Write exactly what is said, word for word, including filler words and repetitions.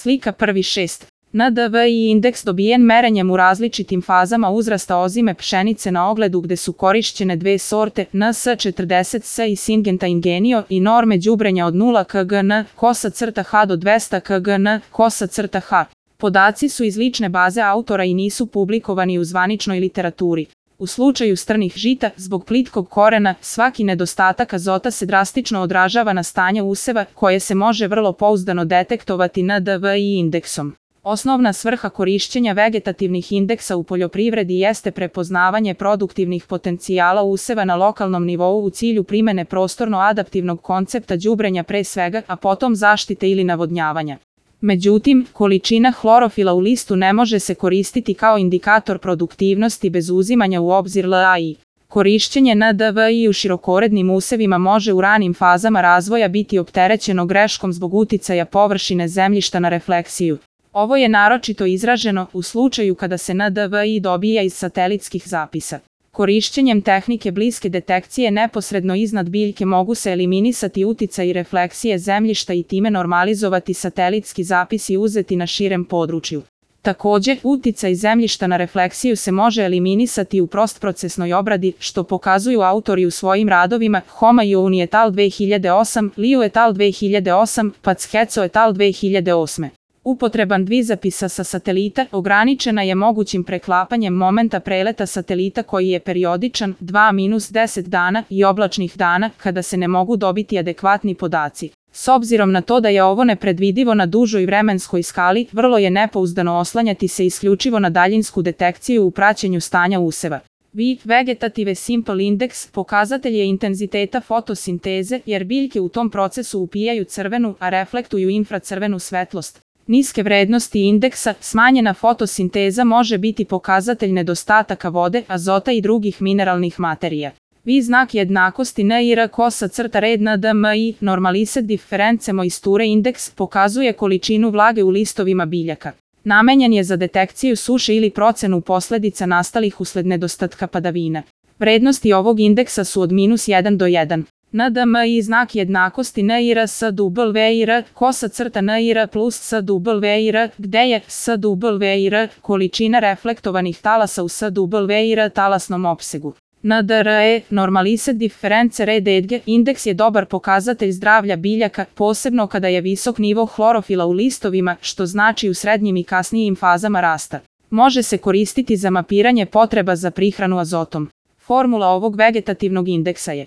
Slika prvi šest. N D V I indeks dobijen merenjem u različitim fazama uzrasta ozime pšenice na ogledu gde su korišćene dve sorte N S četrdeset S i Syngenta Ingenio i norme đubrenja od nula kilograma kosa crta H do dvesta kilograma kosa crta H. Podaci su iz lične baze autora i nisu publikovani u zvaničnoj literaturi. U slučaju strnih žita, zbog plitkog korena, svaki nedostatak azota se drastično odražava na stanje useva, koje se može vrlo pouzdano detektovati N D V I indeksom. Osnovna svrha korišćenja vegetativnih indeksa u poljoprivredi jeste prepoznavanje produktivnih potencijala useva na lokalnom nivou u cilju primene prostorno-adaptivnog koncepta đubrenja pre svega, a potom zaštite ili navodnjavanja. Međutim, količina hlorofila u listu ne može se koristiti kao indikator produktivnosti bez uzimanja u obzir L A I. Korišćenje N D V I u širokorednim usevima može u ranim fazama razvoja biti opterećeno greškom zbog uticaja površine zemljišta na refleksiju. Ovo je naročito izraženo u slučaju kada se N D V I dobija iz satelitskih zapisa. Korišćenjem tehnike bliske detekcije neposredno iznad biljke mogu se eliminisati uticaji refleksije zemljišta i time normalizovati satelitski zapisi uzeti na širem području. Takođe, uticaj zemljišta na refleksiju se može eliminisati u postprocesnoj obradi, što pokazuju autori u svojim radovima Homayoun et al. dve hiljade osam, Liu et al. dve hiljade osam, Pazheco et al. dve hiljade osme. Upotreban dvizapisa sa satelita ograničena je mogućim preklapanjem momenta preleta satelita koji je periodičan dva do deset dana i oblačnih dana kada se ne mogu dobiti adekvatni podaci. S obzirom na to da je ovo nepredvidivo na dužoj vremenskoj skali, vrlo je nepouzdano oslanjati se isključivo na daljinsku detekciju u praćenju stanja useva. V Vegetative Simple Index pokazatelj je intenziteta fotosinteze jer biljke u tom procesu upijaju crvenu, a reflektuju infracrvenu svetlost. Niske vrednosti indeksa, smanjena fotosinteza može biti pokazatelj nedostataka vode, azota i drugih mineralnih materija. V znak jednakosti N I R kosa crta red N D M I, normalised difference moisture indeks, pokazuje količinu vlage u listovima biljaka. Namenjen je za detekciju suše ili procenu posledica nastalih usled nedostatka padavina. Vrednosti ovog indeksa su od minus jedan do jedan. N D M I znak jednakosti N I R S W I R kosa crta N I R plus S W I R, gde je S W I R količina reflektovanih talasa u S W I R talasnom opsegu. N D R E, normalised difference red edge, indeks je dobar pokazatelj zdravlja biljaka, posebno kada je visok nivo hlorofila u listovima, što znači u srednjim i kasnijim fazama rasta. Može se koristiti za mapiranje potreba za prihranu azotom. Formula ovog vegetativnog indeksa je